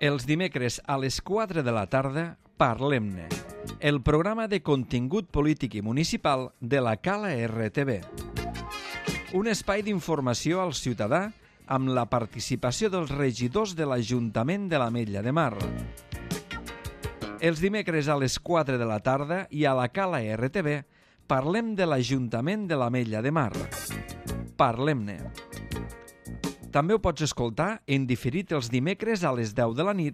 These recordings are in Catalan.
Els dimecres a les 4 de la tarda, Parlem-ne, el programa de contingut polític i municipal de la Cala RTV. Un espai d'informació al ciutadà amb la participació dels regidors de l'Ajuntament de l'Ametlla de Mar. Els dimecres a les 4 de la tarda i a la Cala RTV parlem de l'Ajuntament de l'Ametlla de Mar. Parlem-ne. També ho pots escoltar en diferit els dimecres a les 10 de la nit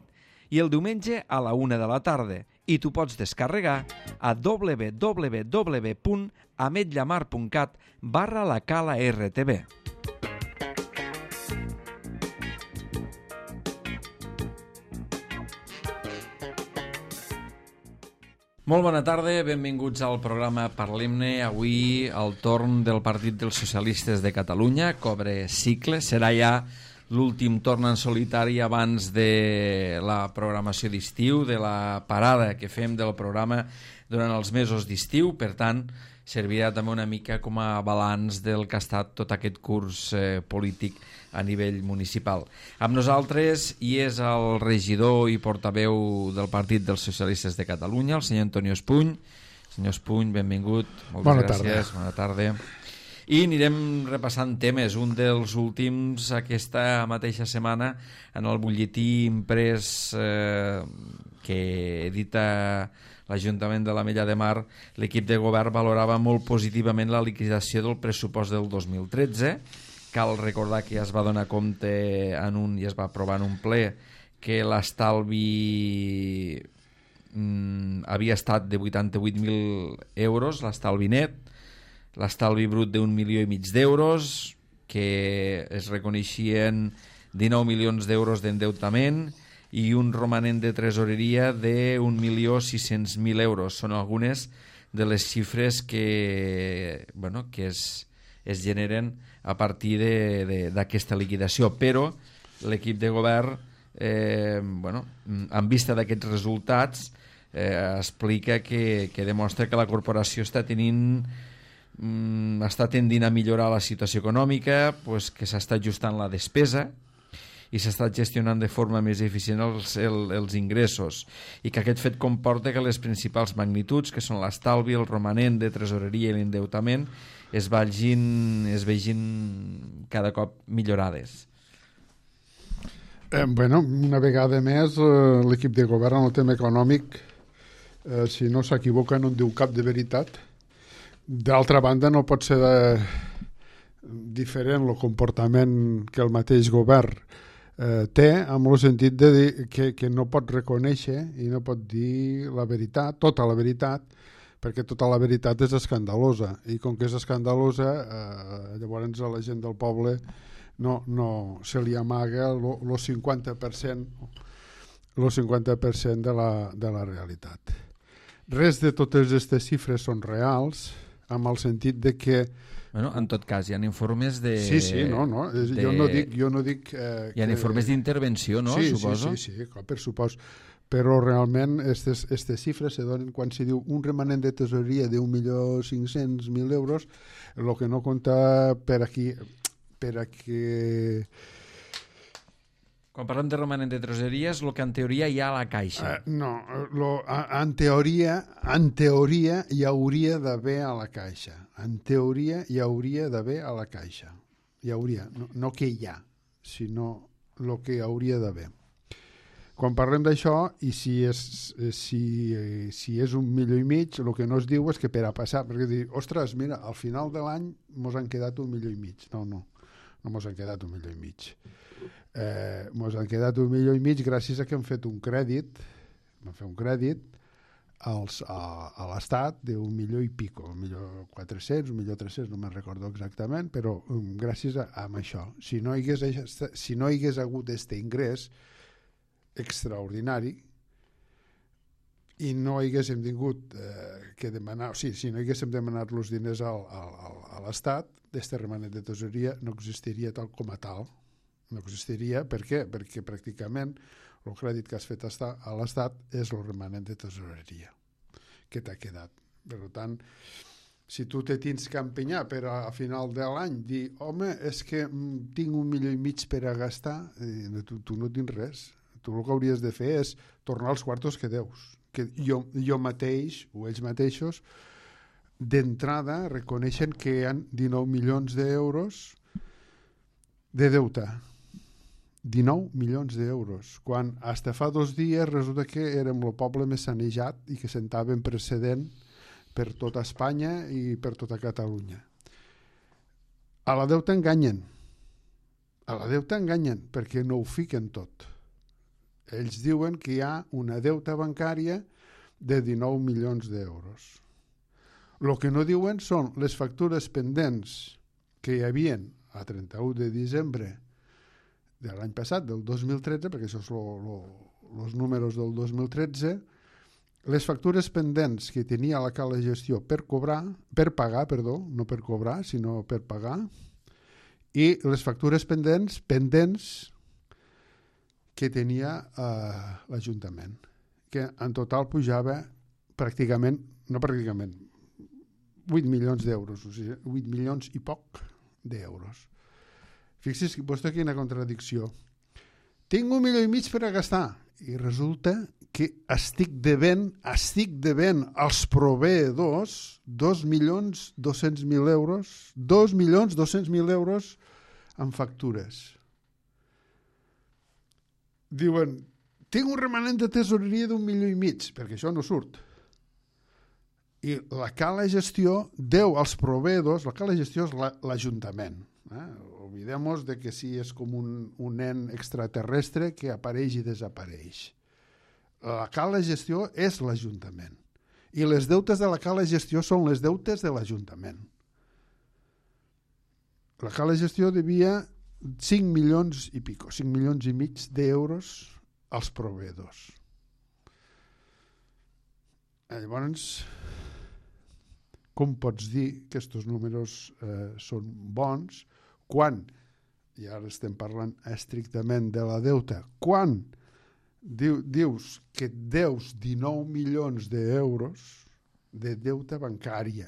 i el diumenge a la 1 de la tarda i t'ho pots descarregar a www.ametllamar.cat/la Cala RTV. Molt bona tarda, benvinguts al programa Parlem-ne. Avui el torn del Partit dels Socialistes de Catalunya cobre cicle. Serà ja l'últim torn en solitari abans de la programació d'estiu, de la parada que fem del programa durant els mesos d'estiu. Per tant, servirà també una mica com a balanç del que ha estat tot aquest curs polític a nivell municipal. Amb nosaltres hi és el regidor i portaveu del Partit dels Socialistes de Catalunya, el senyor Antonio Espuny. Senyor Espuny, benvingut. Moltes gràcies. Bona tarda. I anirem repassant temes. Un dels últims aquesta mateixa setmana en el butlletí imprès que edita l'Ajuntament de l'Ametlla de Mar, l'equip de govern valorava molt positivament la liquidació del pressupost del 2013. Cal recordar que ja es va donar compte i es va aprovar en un ple que l'estalvi havia estat de 88.000 euros, l'estalvi net, l'estalvi brut d'1,5 milió d'euros, que es reconeixien 19 milions d'euros d'endeutament i un romanent de tresoreria de 1.600.000 euros. Són algunes de les xifres que es generen a partir d'aquesta liquidació. Però l'equip de govern, en vista d'aquests resultats, explica que demostra que la corporació està tendint a millorar la situació econòmica, que s'està ajustant la despesa i s'està gestionant de forma més eficient els ingressos, i que aquest fet comporta que les principals magnituds, que són l'estalvi, el romanent de tresoreria i l'endeutament, es vegin cada cop millorades. Una vegada més, l'equip de govern en el tema econòmic, si no s'equivoca, no en diu cap de veritat. D'altra banda, no pot ser diferent el comportament que el mateix govern té, amb el sentit de dir que no pot reconèixer i no pot dir la veritat, tota la veritat, perquè tota la veritat és escandalosa, i com que és escandalosa, llavors a la gent del poble no se li amaga el 50% de la realitat. Res de totes aquestes xifres són reals, amb el sentit de que en tot cas, hi ha informes de... Sí, no. Jo no dic hi ha informes d'intervenció, no? Suposo. Sí, clar, per supòs. Però realment aquestes xifres se donen quan s'hi diu un remanent de tesoreria de 1.500.000 euros, el que no compta per aquí... Quan parlem de romanent de tresoreria és el que en teoria hi ha a la caixa. En teoria hi hauria d'haver a la caixa. En teoria hi hauria d'haver a la caixa. Hi hauria, no que hi ha, sinó el que hauria d'haver. Quan parlem d'això, i si és 1,5 milions, el que no es diu és que per a passar, perquè dir, ostres, mira, al final de l'any mos han quedat 1,5 milions. No mos han quedat 1,5 milions. Mos han quedat 1,5 milions gràcies a que hem fet un crèdit, a l'Estat d'1 milió i pico, 1.400.000, 1.300.000, no me'n recordo exactament, però gràcies a això. Si no hi hagués hagut aquest ingrés extraordinari i no haguéssim tingut que demanar, si no haguéssim demanat els diners a l'Estat, aquest remanent de tesoreria no existiria tal com a tal. No existiria. Per què? Perquè pràcticament el crèdit que has fet a l'Estat és el remanent de tesoreria que t'ha quedat. Per tant, si tu te tens que empenyar per a final de l'any dir, home, és que tinc 1,5 milions per a gastar, tu no tens res. Tu el que hauries de fer és tornar els quartos que deus. Que jo mateix, o ells mateixos, d'entrada reconeixen que hi ha 19 milions d'euros de deute. 19 milions d'euros, quan fins fa 2 dies resulta que érem el poble més sanejat i que sentaven precedent per tota Espanya i per tota Catalunya. A la deuta enganyen. A la deuta enganyen perquè no ho fiquen tot. Ells diuen que hi ha una deuta bancària de 19 milions d'euros. El que no diuen són les factures pendents que hi havien a 31 de desembre de l'any passat, del 2013, perquè això són els números del 2013, les factures pendents que tenia la Cala de Gestió per pagar, no per cobrar, sinó per pagar, i les factures pendents que tenia l'Ajuntament, que en total pujava pràcticament 8 milions d'euros, o sigui, 8 milions i poc d'euros. Fixi's vostè quina contradicció. Tinc 1,5 milions per a gastar i resulta que estic devent als proveïdors 2.200.000 euros, 2.200.000 euros en factures. Diuen, tinc un remanent de tesoreria d'1,5 milions, perquè això no surt. I la Cala de Gestió deu als proveïdors, la Cala de Gestió és l'Ajuntament. Oblidem-nos de que sí és com un nen extraterrestre que apareix i desapareix. La Cala de Gestió és l'Ajuntament. I les deutes de la Cala de Gestió són les deutes de l'Ajuntament. La Cala de Gestió devia 5 milions i pico, 5 milions i mig d'euros als proveïdors. Llavors, com pots dir que aquests números són bons quan, i ara estem parlant estrictament de la deuta, quan dius que et deus 19 milions d'euros de deuta bancària,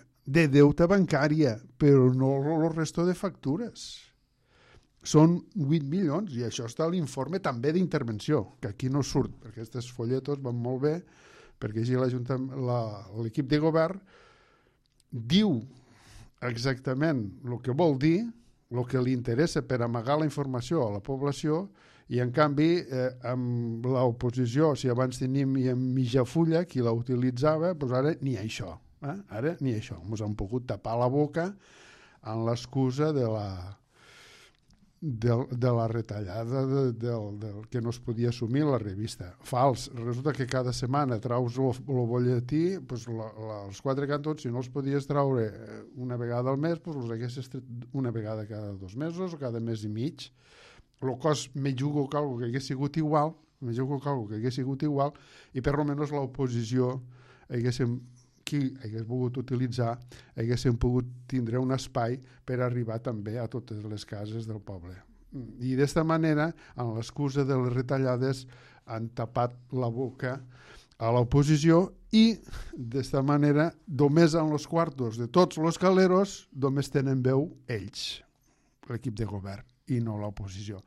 però no el resto de factures. Són 8 milions, i això està a l'informe també d'intervenció, que aquí no surt, perquè aquests folletos van molt bé, perquè així l'equip de govern diu exactament el que vol dir, el que li interessa per amagar la informació a la població, i en canvi amb l'oposició, si abans tenim mitja fulla, qui la utilitzava, doncs ara ni això. Ara ni això. Ens han pogut tapar la boca amb l'excusa de la retallada del que no es podia assumir la revista. Fals. Resulta que cada setmana traus el bolletí, doncs els 4 cantons, si no els podies traure una vegada al mes, doncs els haguessis tret una vegada cada 2 mesos o cada mes i mig. El cost me jugo que algo que hagués sigut igual, i per almenys l'oposició qui hagués volgut utilitzar, haguéssim pogut tindre un espai per arribar també a totes les cases del poble. I d'esta manera, amb l'excusa de les retallades, han tapat la boca a l'oposició i d'esta manera, només en els quartos de tots els caleros, només tenen veu ells, l'equip de govern, i no l'oposició.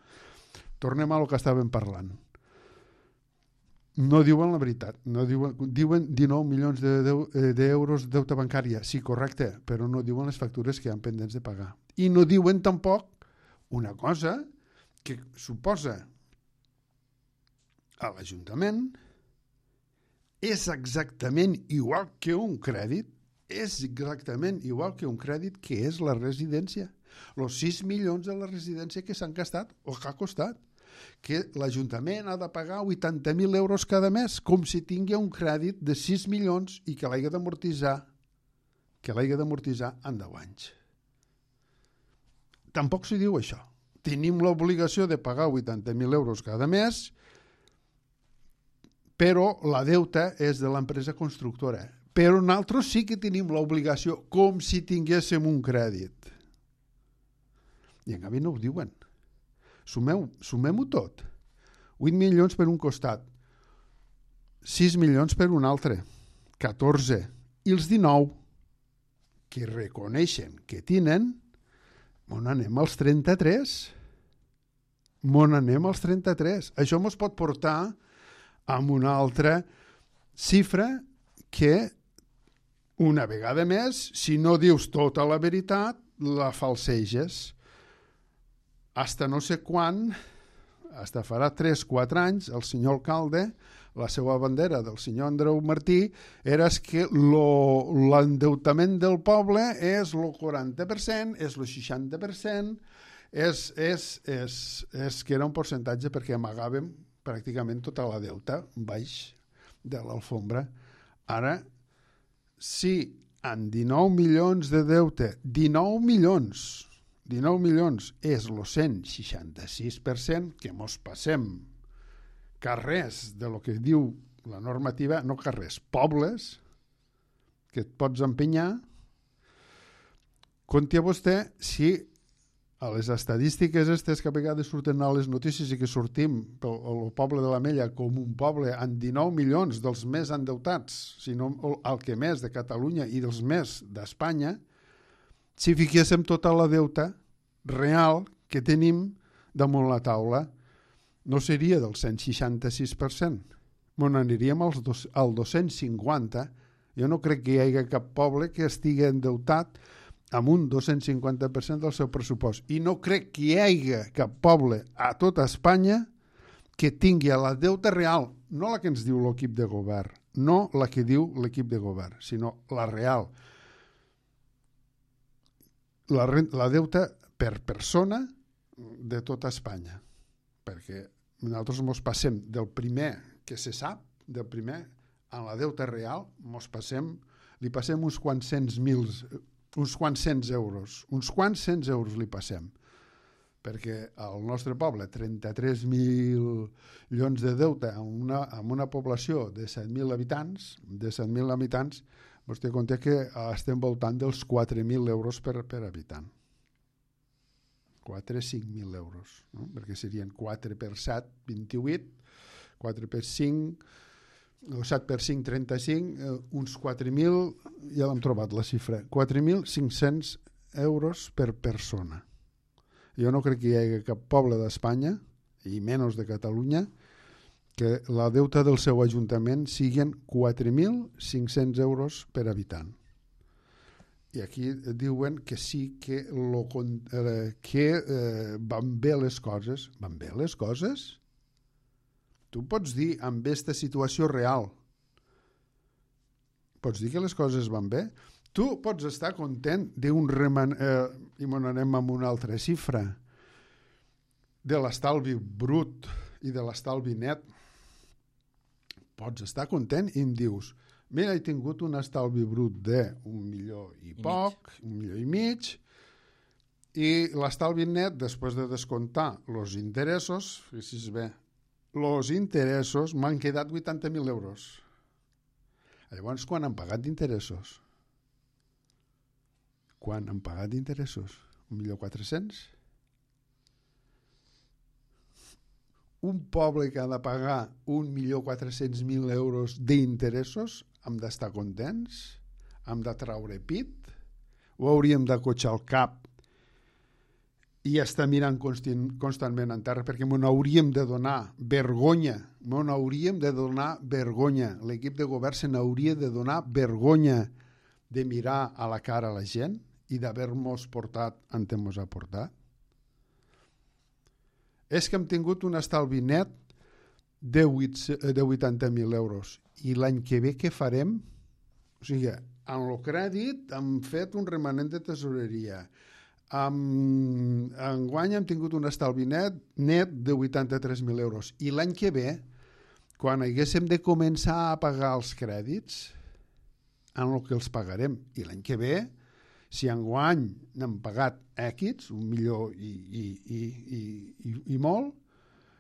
Tornem a lo que estàvem parlant. No diuen la veritat, diuen 19 milions d'euros de deute bancària, sí, correcte, però no diuen les factures que hi ha pendents de pagar. I no diuen tampoc una cosa que suposa a l'Ajuntament és exactament igual que un crèdit, que és la residència. Els 6 milions de la residència que s'han gastat o que ha costat, que l'Ajuntament ha de pagar 80.000 euros cada mes, com si tingui un crèdit de 6 milions i que l'hagi d'amortitzar en 10 anys. Tampoc s'hi diu això. Tenim l'obligació de pagar 80.000 euros cada mes, però la deuta és de l'empresa constructora. Però nosaltres sí que tenim l'obligació, com si tinguéssim un crèdit. I en canvi no ho diuen. Sumem-ho tot. 8 milions per un costat, 6 milions per un altre, 14. I els 19 que reconeixen que tenen, on anem als 33? M'on anem als 33. Això ens pot portar amb una altra xifra que, una vegada més, si no dius tota la veritat, la falseges. Hasta no sé quan, hasta farà 3-4 anys, el senyor alcalde, la seva bandera del senyor Andreu Martí era que l'endeutament del poble és el 40%, és el 60%, és que era un percentatge perquè amagàvem pràcticament tota la deuta baix de l'alfombra. Ara, si en 19 milions de deute, 19 milions és el 166%, que mos passem carrers de lo que diu la normativa, no carrers, pobles, que et pots empenyar, compti a vostè si a les estadístiques aquestes que a vegades surten a les notícies i que sortim pel poble de l'Ametlla com un poble amb 19 milions dels més endeutats, sinó el que més de Catalunya i dels més d'Espanya, si fiquéssim tota la deuta real que tenim damunt la taula, no seria del 166%. M'on aniríem al 250%. Jo no crec que hi hagi cap poble que estigui endeutat amb un 250% del seu pressupost. I no crec que hi hagi cap poble a tota Espanya que tingui la deuta real, no la que ens diu l'equip de govern, no la que diu l'equip de govern, sinó la real. La deuta per persona de tota Espanya. Perquè nosaltres ens passem del primer que se sap, del primer en la deuta real, li passem uns quants cents euros. Uns quants cents euros li passem. Perquè al nostre poble, 33 milions de deute amb una població de 7.000 habitants, vostè compta que estem voltant dels 4.000 euros per habitant. 4-5.000 euros, no? Perquè serien 4 per 7, 28, 4 per 5, 7 per 5, 35, uns 4.000, ja l'hem trobat la xifra, 4.500 euros per persona. Jo no crec que hi hagi cap poble d'Espanya, i menys de Catalunya, que la deuta del seu ajuntament siguin 4.500 euros per habitant. I aquí diuen que sí que van bé les coses. Van bé les coses? Tu pots dir amb aquesta situació real, pots dir que les coses van bé? Tu pots estar content d'un i m'anem amb una altra xifra, de l'estalvi brut i de l'estalvi net. Pots estar content i em dius, mira, he tingut un estalvi brut d'1 milió i poc, 1 milió i mig, i l'estalvi net, després de descomptar els interessos, fixi's bé, els interessos m'han quedat 80.000 euros. Llavors, quan han pagat d'interessos? Quan han pagat d'interessos? 1.400.000? Un poble que ha de pagar 1.400.000 euros d'interessos, hem d'estar contents? Hem de traure pit? O hauríem d'acotxar el cap i estar mirant constantment en terra, perquè m'ho hauríem de donar vergonya, l'equip de govern se n'hauria de donar vergonya de mirar a la cara a la gent i d'haver-nos portat on ens ha portat? És que hem tingut un estalvi net de 80.000 euros i l'any que ve què farem? O sigui, en el crèdit hem fet un remanent de tesoreria. Enguany hem tingut un estalvi net de 83.000 euros. I l'any que ve, quan haguéssim de començar a pagar els crèdits, en el que els pagarem. I l'any que ve, si enguany n'hem pagat X, 1 milió i molt,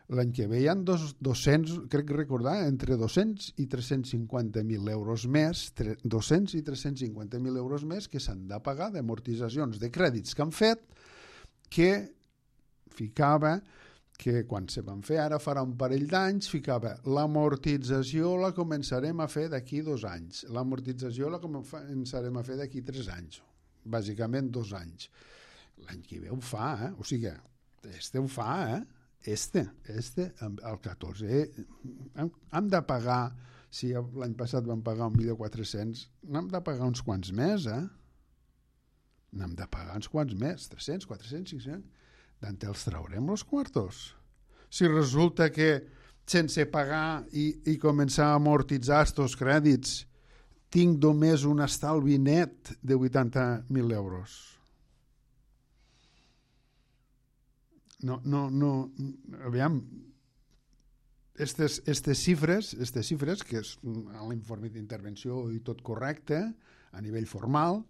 l'any que ve hi ha 200, crec recordar, entre 200 i 350.000 euros més, 200 i 350.000 euros més que s'han de pagar d'amortitzacions de crèdits que han fet, que ficava, que quan se van fer ara farà un parell d'anys, ficava l'amortització la començarem a fer d'aquí 2 anys, l'amortització la començarem a fer d'aquí 3 anys, bàsicament 2 anys. L'any que ve ho fa, o sigui, ho fa, el 14. Hem de pagar, si l'any passat vam pagar 1.400.000, n'hem de pagar uns quants més, N'hem de pagar uns quants més, 300, 400, 500. D'on els traurem els quartos? Si resulta que sense pagar i començar a amortitzar aquests crèdits tinc només un estalvi net de 80.000 euros. No, aviam, aquestes xifres, que és a l'informe d'intervenció i tot correcte, a nivell formal,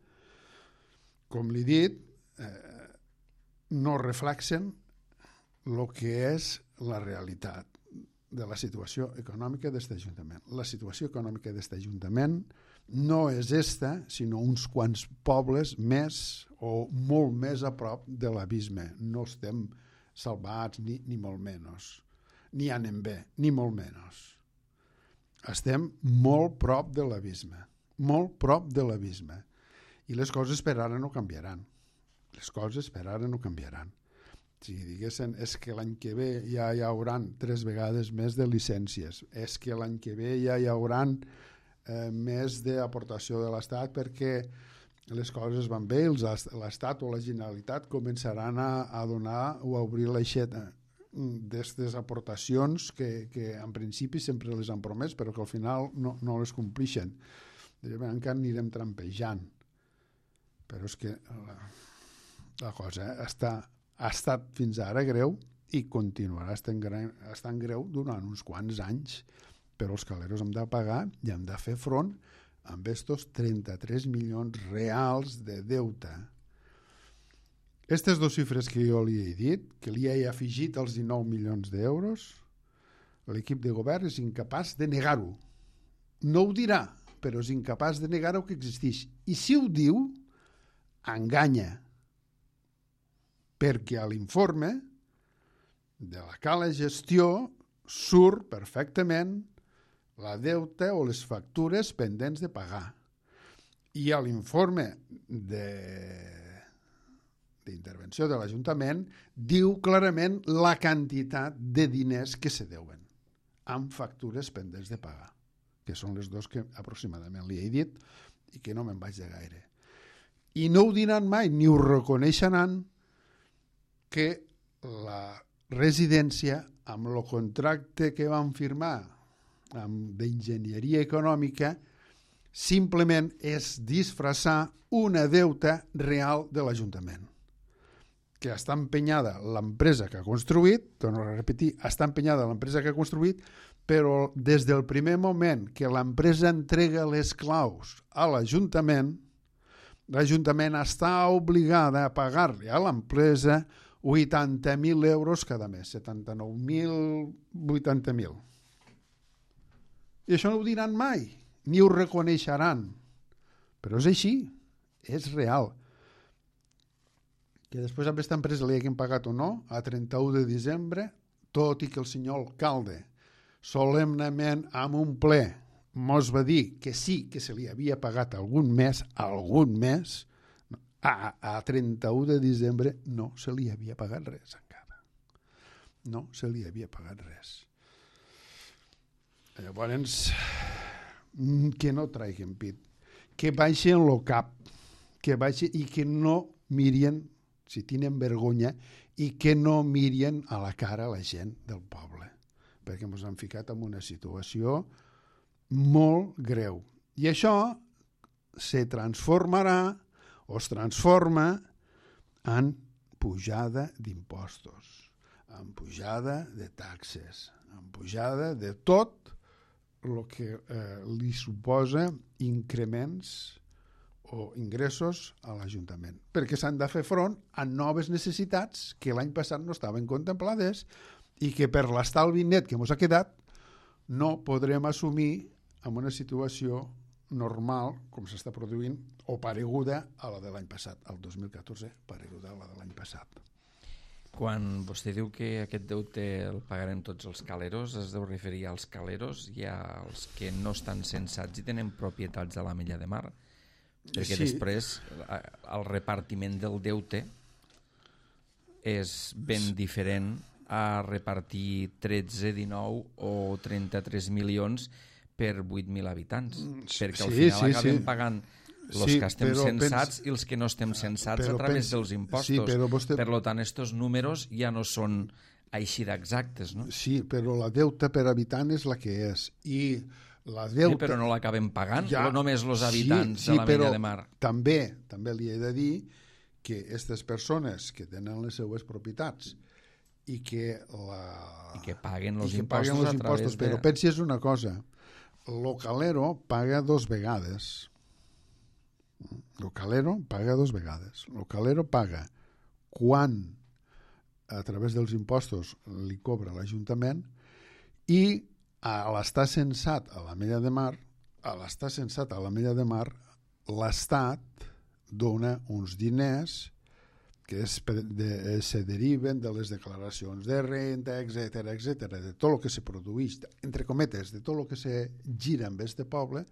com li he dit, no reflexen el que és la realitat de la situació econòmica d'aquest Ajuntament. La situació econòmica d'aquest Ajuntament no és esta, sinó uns quants pobles més o molt més a prop de l'abisme. No estem salvats ni molt menys. Ni anem bé, ni molt menys. Estem molt prop de l'abisme. Molt prop de l'abisme. I les coses per ara no canviaran. Les coses per ara no canviaran. Si diguessin, és que l'any que ve ja hi hauran 3 vegades més de llicències, és que l'any que ve ja hi hauran més d'aportació de l'Estat perquè les coses van bé, l'Estat o la Generalitat començaran a donar o a obrir l'aixeta d'aquestes aportacions que en principi sempre les han promès però que al final no les complixen. Encara anirem trampejant. Però és que la cosa ha estat fins ara greu i continuarà estant greu durant uns quants anys, però els caleros hem de pagar i hem de fer front amb estos 33 milions reals de deute. Aquestes 2 xifres que jo li he dit, que li he afegit els 19 milions d'euros, l'equip de govern és incapaç de negar-ho. No ho dirà, però és incapaç de negar-ho que existeix. I si ho diu, enganya, perquè a l'informe de la cala gestió surt perfectament la deute o les factures pendents de pagar. I a l'informe d'intervenció de l'Ajuntament diu clarament la quantitat de diners que se deuen amb factures pendents de pagar, que són les 2 que aproximadament li he dit i que no me'n vaig de gaire. I no ho diran mai, ni ho reconeixeran que la residència, amb el contracte que van firmar d'enginyeria econòmica, simplement és disfressar una deuta real de l'Ajuntament, que està empenyada l'empresa que ha construït, torno a repetir, està empenyada l'empresa que ha construït, però des del primer moment que l'empresa entrega les claus a l'Ajuntament, l'Ajuntament està obligada a pagar-li a l'empresa 80.000 euros cada mes, 79.000, 80.000. I això no ho diran mai, ni ho reconeixeran. Però és així, és real. Que després a aquesta empresa li haguem pagat o no, a 31 de desembre, tot i que el senyor alcalde solemnement amb un ple mos va dir que sí que se li havia pagat algun mes, a 31 de desembre no se li havia pagat res encara. No se li havia pagat res. Llavors, que no traiguen pit, que baixen el cap, que baixen i que no miren, si tenen vergonya, i que no miren a la cara la gent del poble, perquè ens han ficat en una situació molt greu. I això se transformarà o es transforma en pujada d'impostos, en pujada de taxes, en pujada de tot el que li suposa increments o ingressos a l'Ajuntament, perquè s'han de fer front a noves necessitats que l'any passat no estaven contemplades i que per l'estalvi net que ens ha quedat no podrem assumir en una situació normal com s'està produint o pareguda a la de l'any passat, el 2014, pareguda a la de l'any passat. Quan vostè diu que aquest deute el pagarem tots els caleros, es deu referir als caleros i als que no estan censats i tenen propietats a la Mella de Mar? Perquè sí, després el repartiment del deute és ben diferent a repartir 13, 19 o 33 milions per 8.000 habitants, perquè al final acabem pagant els que estem censats i els que no estem censats a través dels impostos. Per tant, estos números ja no són així d'exactes, no? Sí, però la deuta per habitant és la que és. I la deuta... Sí, però no l'acabem pagant, ja, només els habitants de la Mella de Mar. També li he de dir que aquestes persones que tenen les seues propietats i que paguen els impostos a través de... Però pensis una cosa, el calero paga 2 vegades. El calero paga 2 vegades. El calero paga quan a través dels impostos li cobra l'Ajuntament i a l'estar censat a la Mella de Mar, l'Estat dona uns diners que se deriven de les declaracions de renta, etc, de tot el que se produeix, entre cometes, de tot el que se gira en este poble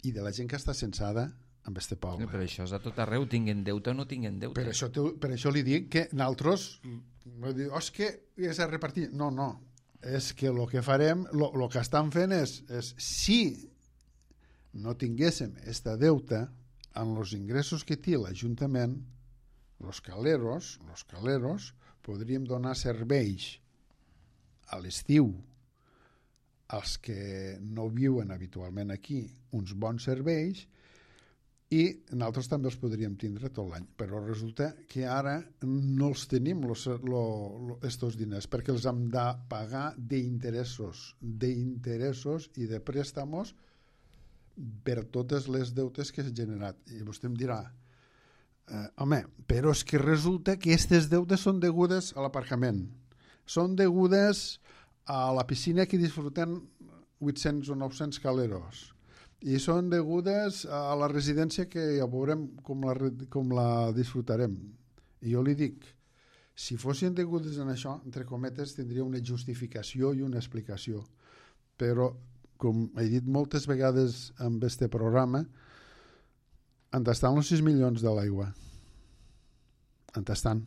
i de la gent que està censada en este poble. Però això és a tot arreu, tinguen deute o no tinguen deute. Per això li dic que nosaltres, és que és a repartir. No, és que el que farem, el que estan fent és si no tinguéssim esta deuta en els ingressos que té l'Ajuntament, els caleros podríem donar serveis a l'estiu als que no viuen habitualment aquí, uns bons serveis, i nosaltres també els podríem tindre tot l'any, però resulta que ara no els tenim estos diners perquè els hem de pagar d'interessos i de préstamos per totes les deutes que s'han generat. I vostè em dirà, home, però és que resulta que aquestes deutes són degudes a l'aparcament, són degudes a la piscina que disfruten 800 o 900 caleros, i són degudes a la residència que ja veurem com la disfrutarem. I jo li dic, si fossin degudes en això, entre cometes, tindria una justificació i una explicació. Però, com he dit moltes vegades en este programa, on estan els 6 milions de l'aigua? On estan?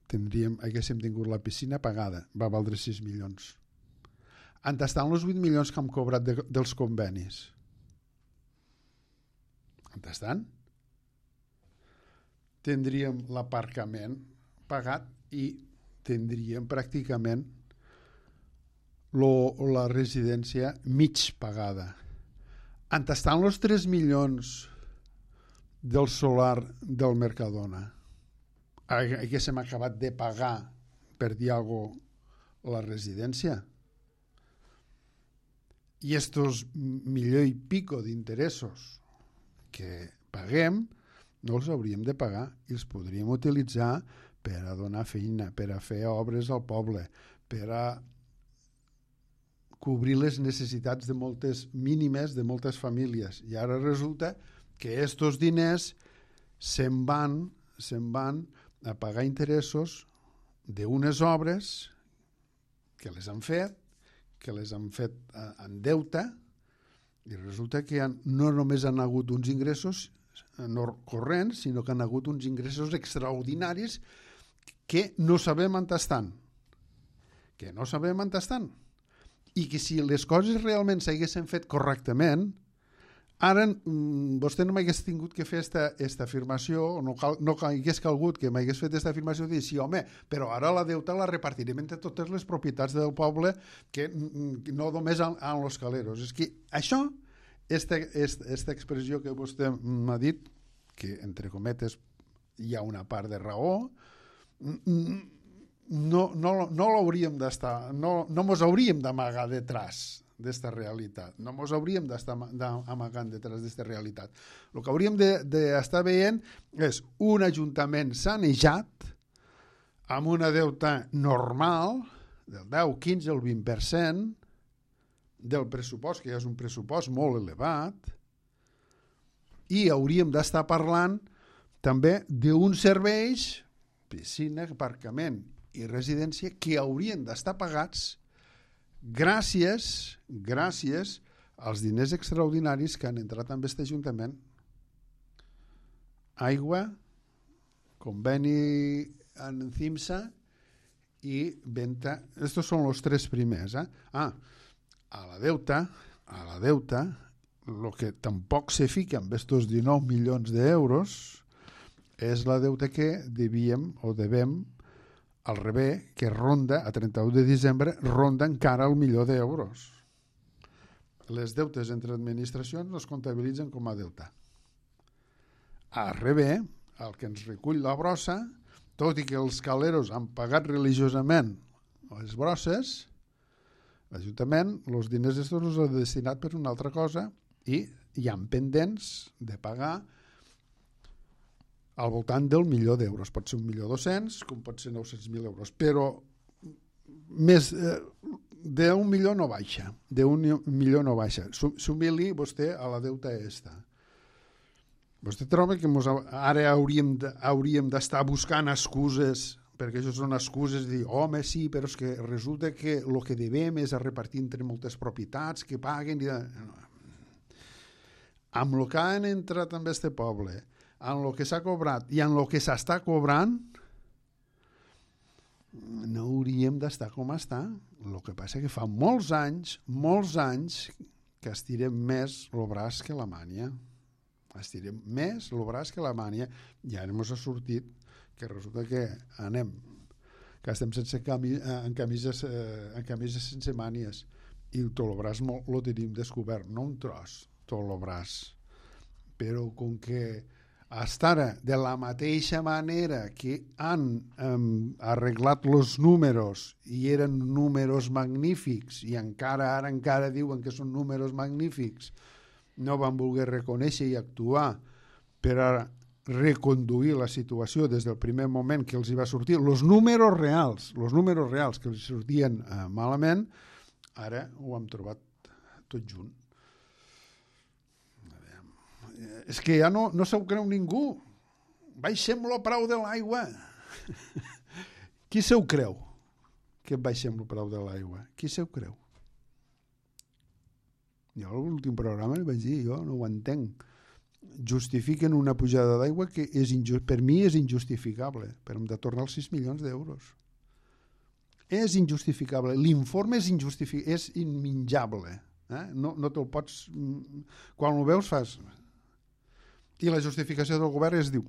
Haguéssim tingut la piscina pagada, va valdre 6 milions. On estan els 8 milions que hem cobrat dels convenis? On estan? Tindríem l'aparcament pagat i tindríem pràcticament la residència mig pagada. On estan els 3 milions del solar del Mercadona? Haguéssim acabat de pagar, per dir alguna cosa, la residència? I estos milió i pico d'interessos que paguem no els hauríem de pagar i els podríem utilitzar per a donar feina, per a fer obres al poble, per a cobrir les necessitats de moltes mínimes de moltes famílies. I ara resulta que estos diners se'n van a pagar interessos d'unes obres que les han fet en deute, i resulta que no només han hagut uns ingressos corrents, sinó que han hagut uns ingressos extraordinaris que no sabem on estan. I que si les coses realment s'haguessin fet correctament, ara vostè no m'hagués tingut que fer esta afirmació, no hagués calgut que m'hagués fet aquesta afirmació de dir, sí, home, però ara la deuta la repartirem entre totes les propietats del poble, que no només en los caleros. És que això, esta expressió que vostè m'ha dit, que entre cometes hi ha una part de raó, no l'hauríem d'estar, no mos hauríem d'amagar detrás d'esta realitat, no mos hauríem d'estar amagant detrás d'esta realitat. El que hauríem d'estar veient és un ajuntament sanejat amb una deuta normal del 10, 15 o el 20% del pressupost, que ja és un pressupost molt elevat, i hauríem d'estar parlant també d'uns serveis, piscina, aparcament i residència, que haurien d'estar pagats gràcies als diners extraordinaris que han entrat en aquest Ajuntament. Aigua, conveni en CIMSA i venda. Estos són els tres primers. A la deuta, el que tampoc se fica amb estos 19 milions d'euros és la deuta que devíem o devem al revés, que ronda, a 31 de desembre, ronda encara el milió d'euros. Les deutes entre administracions no es comptabilitzen com a deuta. Al revés, el que ens recull la brossa, tot i que els caleros han pagat religiosament les brosses, l'Ajuntament, els diners estos els ha destinat per una altra cosa i hi ha pendents de pagar al voltant del milió d'euros. Pot ser 1.200.000, com pot ser 900.000 euros, però més d'un milió no baixa. Sumili vostè a la deuta esta. Vostè troba que ara hauríem d'estar buscant excuses, perquè això són excuses de dir, home, sí, però és que resulta que el que devem és a repartir entre moltes propietats que paguen. Amb el que han entrat en este poble, en el que s'ha cobrat i en el que s'està cobrant, no hauríem d'estar com està. El que passa que fa molts anys, que estirem més el braç que la mània. Estirem més el braç que la mània i ara ens ha sortit que resulta que estem sense en camises sense mànies i tot el braç el tenim descobert, no un tros, tot el braç. Però com que estar de la mateixa manera que han arreglat els números i eren números magnífics i ara encara diuen que són números magnífics, no van voler reconèixer i actuar per a reconduir la situació des del primer moment que els hi va sortir els números reals que els sortien malament, ara ho hem trobat tot junt. És que ja no se ho creu ningú. Baixem el preu de l'aigua. Qui se ho creu? Que baixem el preu de l'aigua. Qui se ho creu? Jo a l'últim programa li vaig dir, jo no ho entenc. Justifiquen una pujada d'aigua que per mi és injustificable, però hem de tornar els 6 milions d'euros. És injustificable. L'informe és imminjable. No te'l pots... Quan ho veus fas... I la justificació del govern diu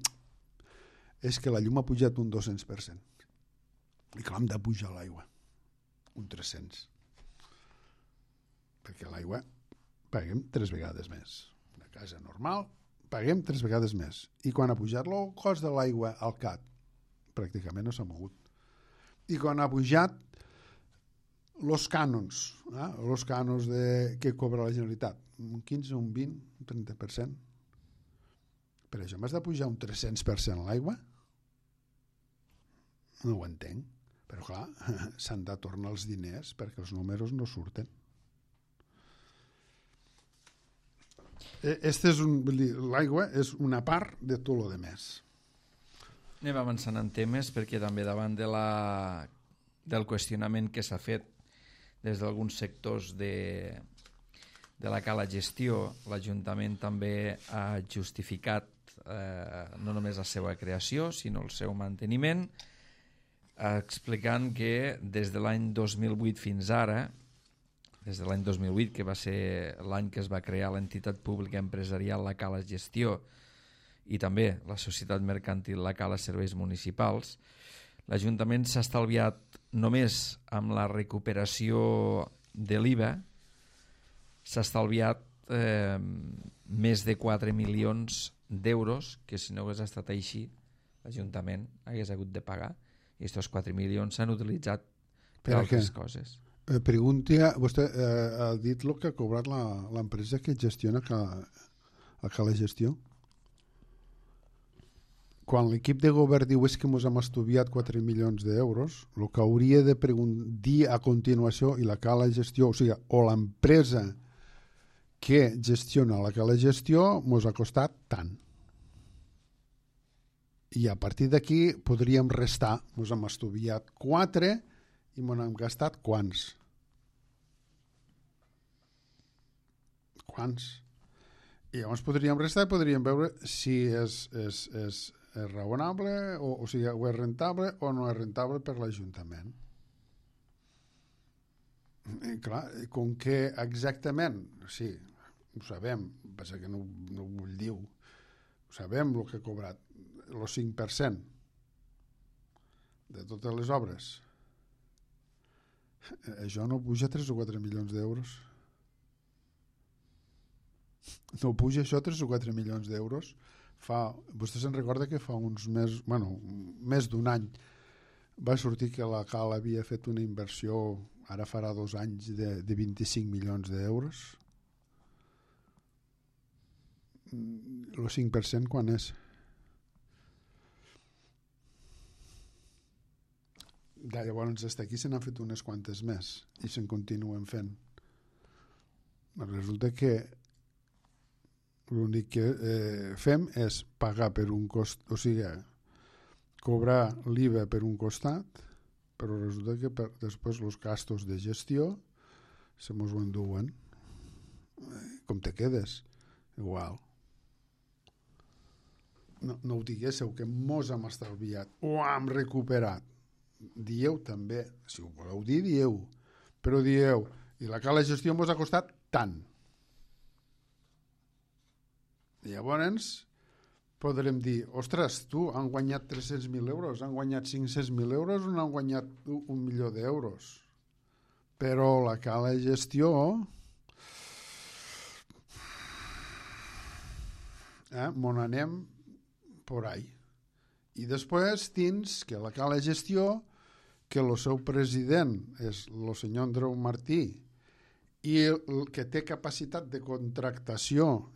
és que la llum ha pujat un 200%. I clar, hem de pujar l'aigua. Un 300%. Perquè l'aigua paguem 3 vegades més. Una casa normal paguem 3 vegades més. I quan ha pujat el cost de l'aigua al CAT, pràcticament no s'ha mogut. I quan ha pujat els cànons, que cobra la Generalitat, un 15, un 20, un 30%. Per això m'has de pujar un 300% l'aigua? No ho entenc. Però clar, s'han de tornar els diners perquè els números no surten. L'aigua és una part de tot el demés. Anem avançant en temes perquè també davant del qüestionament que s'ha fet des d'alguns sectors de la cala gestió, l'Ajuntament també ha justificat no només la seva creació, sinó el seu manteniment, explicant que des de l'any 2008 fins ara, des de l'any 2008, que va ser l'any que es va crear l'entitat pública empresarial La Cala Gestió i també la societat mercantil La Cala Serveis Municipals, l'Ajuntament s'ha estalviat només amb la recuperació de l'IVA, s'ha estalviat més de 4 milions d'euros que si no hagués estat així l'Ajuntament hagués hagut de pagar i aquests 4 milions s'han utilitzat per altres coses. Pregunti, vostè ha dit el que ha cobrat l'empresa que gestiona la Cala Gestió? Quan l'equip de govern diu és que ens hem estudiat 4 milions d'euros, el que hauria de dir a continuació i la Cala Gestió, o sigui, o l'empresa que gestiona la Cala Gestió ens ha costat tant. I a partir d'aquí podríem restar. Ens hem estudiat 4 i ens hem gastat quants? I llavors podríem restar i podríem veure si és és raonable, o sigui, o és rentable o no és rentable per l'Ajuntament. I clar, com que exactament, sí, ho sabem, passa que no ho vull dir, ho sabem el que ha cobrat, el 5% de totes les obres. Això no puja 3 o 4 milions d'euros. No puja això 3 o 4 milions d'euros. Vostè se'n recorda que fa uns mesos, més d'un any, va sortir que la CAL havia fet una inversió, ara farà 2 anys, de 25 milions d'euros. El 5% quan és? Llavors, fins aquí se n'han fet unes quantes més i se'n continuen fent. Resulta que l'únic que fem és pagar per un cost, o sigui, cobrar l'IVA per un costat, però resulta que després els gastos de gestió se mos ho enduen. Com te quedes? Igual. No ho diguéssiu, que mos hem estalviat o hem recuperat. Dieu també, si ho voleu dir, dieu, però dieu, i la cala gestió mos ha costat tant. Llavors podrem dir, ostres, tu han guanyat 300.000 euros, han guanyat 500.000 euros o han guanyat 1 milió d'euros. Però la cala gestió mon anem por ahí. I després tens que la cala gestió, que el seu president és el senyor Andreu Martí, i el que té capacitat de contractació,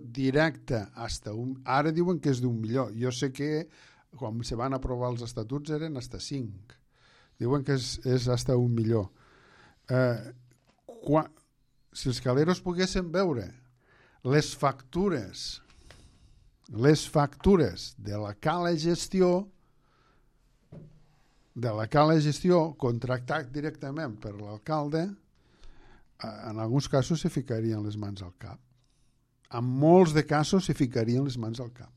directa ara diuen que és d'1 milió. Jo sé que quan se van aprovar els estatuts eren hasta 5. Diuen que és hasta 1 milió. Si els caleros poguessin veure les factures de la cala gestió contractat directament per l'alcalde, en alguns casos se ficarien les mans al cap. En molts de casos se ficarien les mans al cap.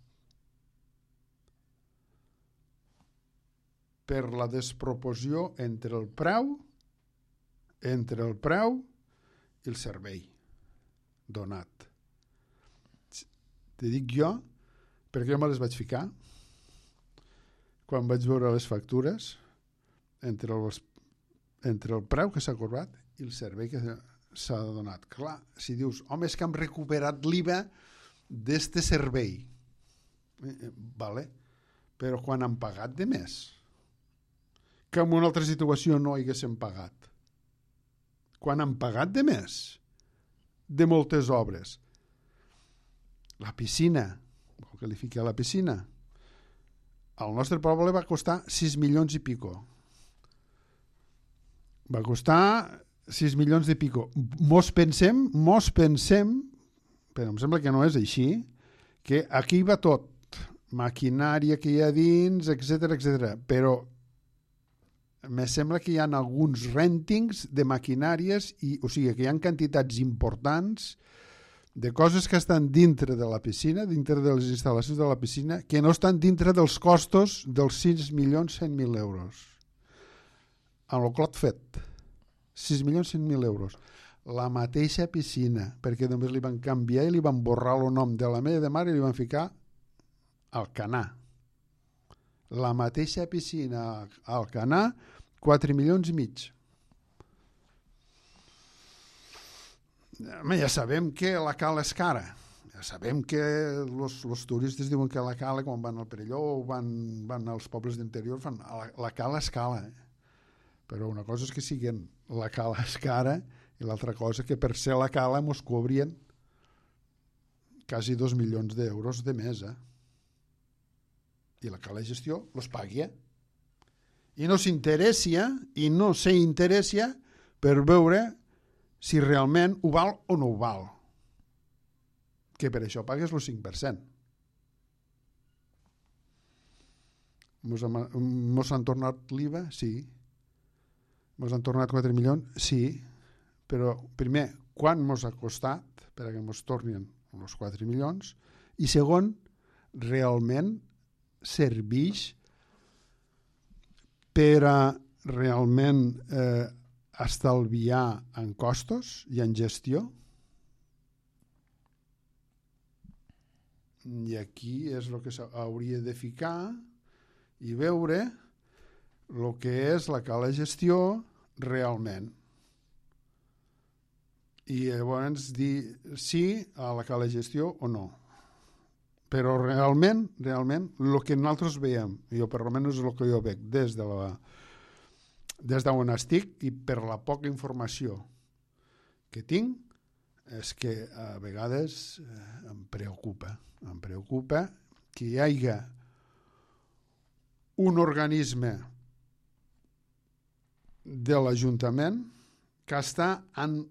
Per la desproporció entre el preu i el servei donat. Te dic jo, perquè jo me les vaig ficar quan vaig veure les factures entre el preu que s'ha cobrat i el servei que s'ha donat. Clar, si dius, home, és que hem recuperat l'IVA d'este servei. Vale, però quan han pagat de més, que en una altra situació no haguéssim pagat. Quan han pagat de més, de moltes obres. La piscina, vol que li fiqui a la piscina, al nostre poble va costar 6 milions i pico. Va costar 6 milions i pico. Mos pensem, però em sembla que no és així, que aquí va tot, maquinària que hi ha dins, etc. Però me sembla que hi ha alguns rèntings de maquinàries, o sigui que hi ha quantitats importants de coses que estan dintre de la piscina, dintre de les instal·lacions de la piscina, que no estan dintre dels costos dels 6.100.000 euros. En el clot fet, 6.100.000 euros. La mateixa piscina, perquè només li van canviar i li van borrar el nom de la meva mare i li van ficar Alcanar. La mateixa piscina Alcanar, 4 milions i mig. Ja sabem que la cala és cara. Ja sabem que els turistes diuen que la cala, quan van al Perelló o van als pobles d'interior, fan la cala és cara. Però una cosa és que siguin la cala és cara i l'altra cosa que per ser la cala mos cobrien quasi 2 milions d'euros de mes. I la cala de gestió los pagui. I no s'interessa per veure si realment ho val o no ho val. Que per això pagues el 5%. Mos han tornat l'IVA? Sí. Mos han tornat 4 milions? Sí. Però, primer, quan mos ha costat perquè mos tornin els 4 milions? I segon, realment serveix per a realment estalviar en costos i en gestió? I aquí és el que s'hauria de ficar i veure el que és la cala gestió realment. I llavors dir sí a la cala gestió o no. Però realment, el que nosaltres veiem, jo per almenys és el que jo veig des d'on estic i per la poca informació que tinc, és que a vegades em preocupa que hi hagi un organisme de l'Ajuntament que està en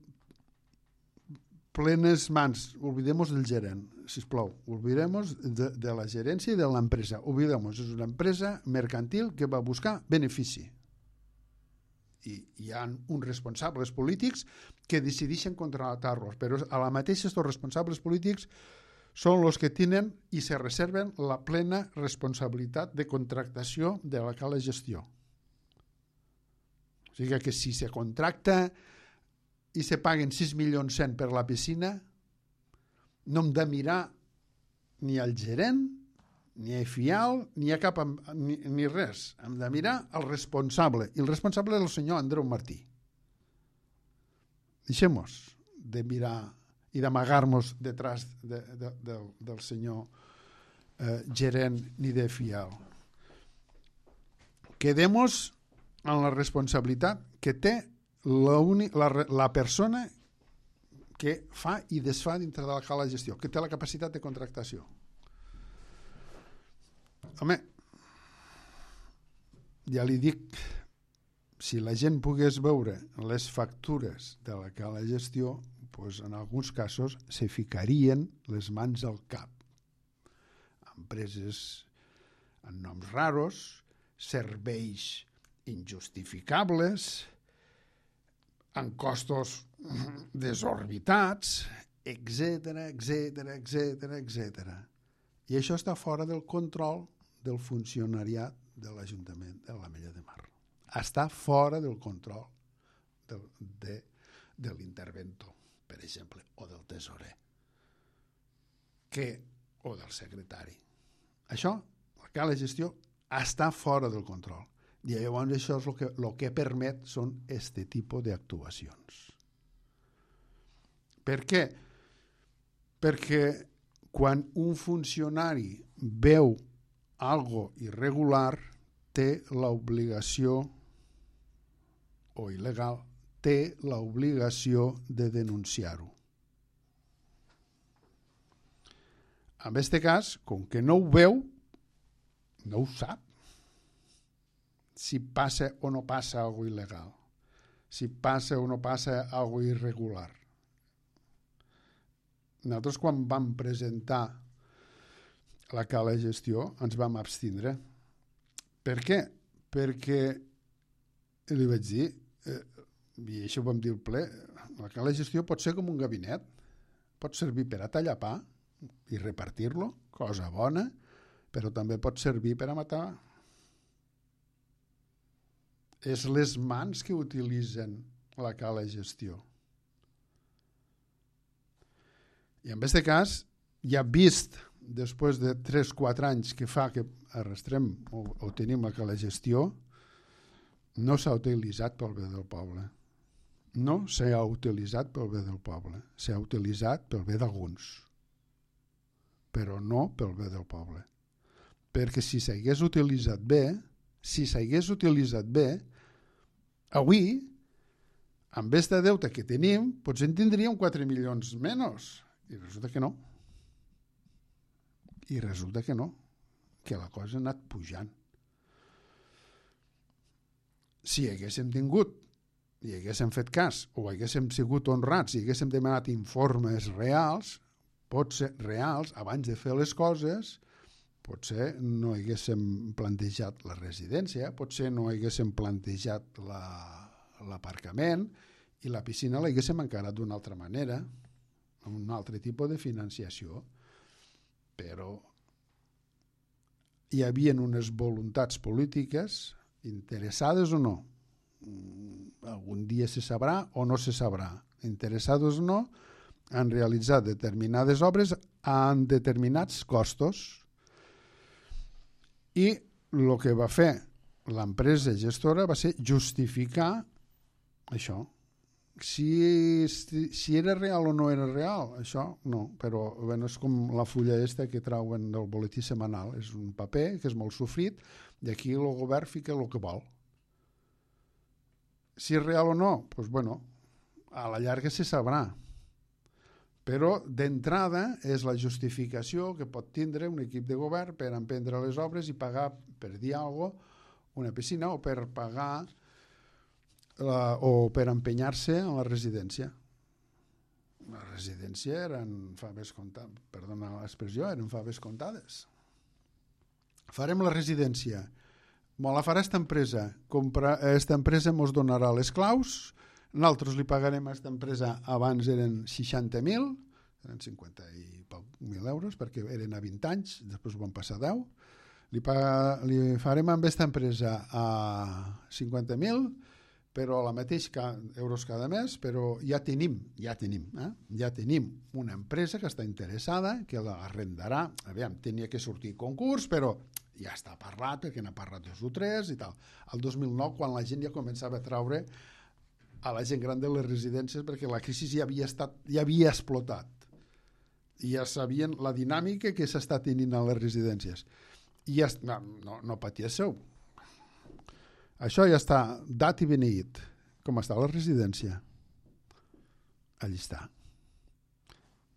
plenes mans. Oblidem-nos del gerent, sisplau. Oblidem-nos de la gerència i de l'empresa. Oblidem-nos, és una empresa mercantil que va buscar benefici. I hi ha uns responsables polítics que decideixen contractar-los, però a la mateixa aquests responsables polítics són els que tenen i se reserven la plena responsabilitat de contractació de la cala gestió. O sigui que si se contracta i se paguen 6.100.000 per la piscina, no hem de mirar ni al gerent, ni a FIAL, ni a cap, ni res. Hem de mirar el responsable. I el responsable és el senyor Andreu Martí. Deixem-nos de mirar i d'amagar-nos detrás del senyor gerent ni de FIAL. Quedem-nos en la responsabilitat que té la persona que fa i desfà dintre de la cala gestió, que té la capacitat de contractació. Home, ja li dic, si la gent pogués veure les factures de la cala gestió, doncs en alguns casos se ficarien les mans al cap. Empreses amb noms raros, serveis injustificables, amb costos desorbitats, etc. I això està fora del control del funcionariat de l'Ajuntament de l'Ametlla de Mar. Està fora del control de l'interventor, per exemple, o del tesorer, o del secretari. Això, la cala gestió, està fora del control. I llavors això és el que permet són aquest tipus d'actuacions. Per què? Perquè quan un funcionari veu algo irregular, té l'obligació, o il·legal, té l'obligació de denunciar-ho. En aquest cas, com que no ho veu, no ho sap. Si passa o no passa algo il·legal, si passa o no passa algo irregular. Nosaltres quan vam presentar la cala gestió ens vam abstindre. Per què? Perquè li vaig dir, i això ho vam dir al ple, la cala gestió pot ser com un gabinet, pot servir per a tallar pa i repartir-lo, cosa bona, però també pot servir per a matar. És les mans que utilitzen la cala gestió. I en aquest cas, ja vist, després de 3-4 anys que fa que arrastrem o tenim la cala gestió, no s'ha utilitzat pel bé del poble. No s'ha utilitzat pel bé del poble. S'ha utilitzat pel bé d'alguns, però no pel bé del poble. Perquè si s'hagués utilitzat bé, avui, amb aquest deute que tenim, potser en tindríem 4 milions menys. I resulta que no. Que la cosa ha anat pujant. Si haguéssim tingut i haguéssim fet cas o haguéssim sigut honrats i haguéssim demanat informes reals, potser reals, abans de fer les coses, potser no haguéssim plantejat la residència, potser no haguéssim plantejat l'aparcament i la piscina l'haguéssim encarat d'una altra manera, amb un altre tipus de financiació. Però hi havia unes voluntats polítiques, interessades o no. Algun dia se sabrà o no se sabrà. Interessades o no, han realitzat determinades obres en determinats costos. I el que va fer l'empresa gestora va ser justificar això. Si era real o no era real, això no, però bueno, és com la fulla que trauen del boletí setmanal, és un paper que és molt sofrit i aquí el govern fica el que vol. Si és real o no, doncs bueno, a la llarga se sabrà, però d'entrada és la justificació que pot tindre un equip de govern per emprendre les obres i pagar, per dir alguna cosa, una piscina o per pagar o per empenyar-se en la residència. La residència eren faves comptades, perdona l'expressió, eren faves comptades. Farem la residència, la farà esta empresa, esta empresa ens donarà les claus, nosaltres li pagarem a aquesta empresa, abans eren 60.000, eren 50 i poc mil euros, perquè eren a 20 anys, després ho van passar a 10, li farem amb aquesta empresa a 50.000, però la mateix euros cada mes, però ja tenim una empresa que està interessada, que l'arrendarà, aviam, tenia que sortir concurs, però ja està parlat, perquè n'ha parlat 2 o 3 i tal. El 2009, quan la gent ja començava a traure a la gent gran de les residències, perquè la crisi ja havia explotat. I ja sabien la dinàmica que s'està tenint a les residències. I ja, no patíssiu. Això ja està dat i beneït. Com està la residència? Allí està.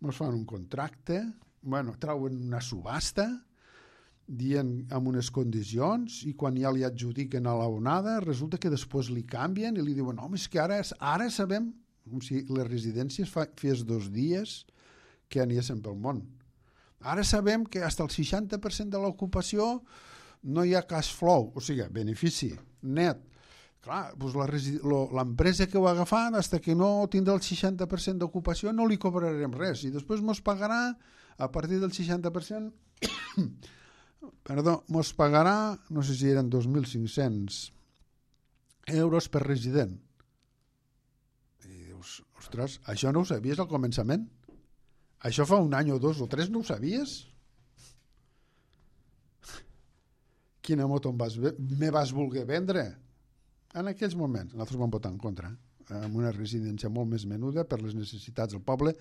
Ens fan un contracte, trauen una subhasta, dient amb unes condicions, i quan ja li adjudiquen a l'onada, resulta que després li canvien i li diuen, home, és que ara sabem, com si les residències fes 2 dies que aniessin pel món. Ara sabem que fins al 60% de l'ocupació no hi ha cash flow, o sigui, benefici net. Clar, doncs l'empresa que ho ha agafat, fins que no tindrà el 60% d'ocupació, no li cobrarem res. I després ens pagarà, a partir del 60%, ens pagarà, no sé si eren 2.500 euros per resident. I dius, ostres, això no ho sabies al començament? Això fa 1 any o 2 o 3 no ho sabies? Quina moto me vas voler vendre? En aquells moments, nosaltres vam votar en contra, amb una residència molt més menuda per les necessitats del poble,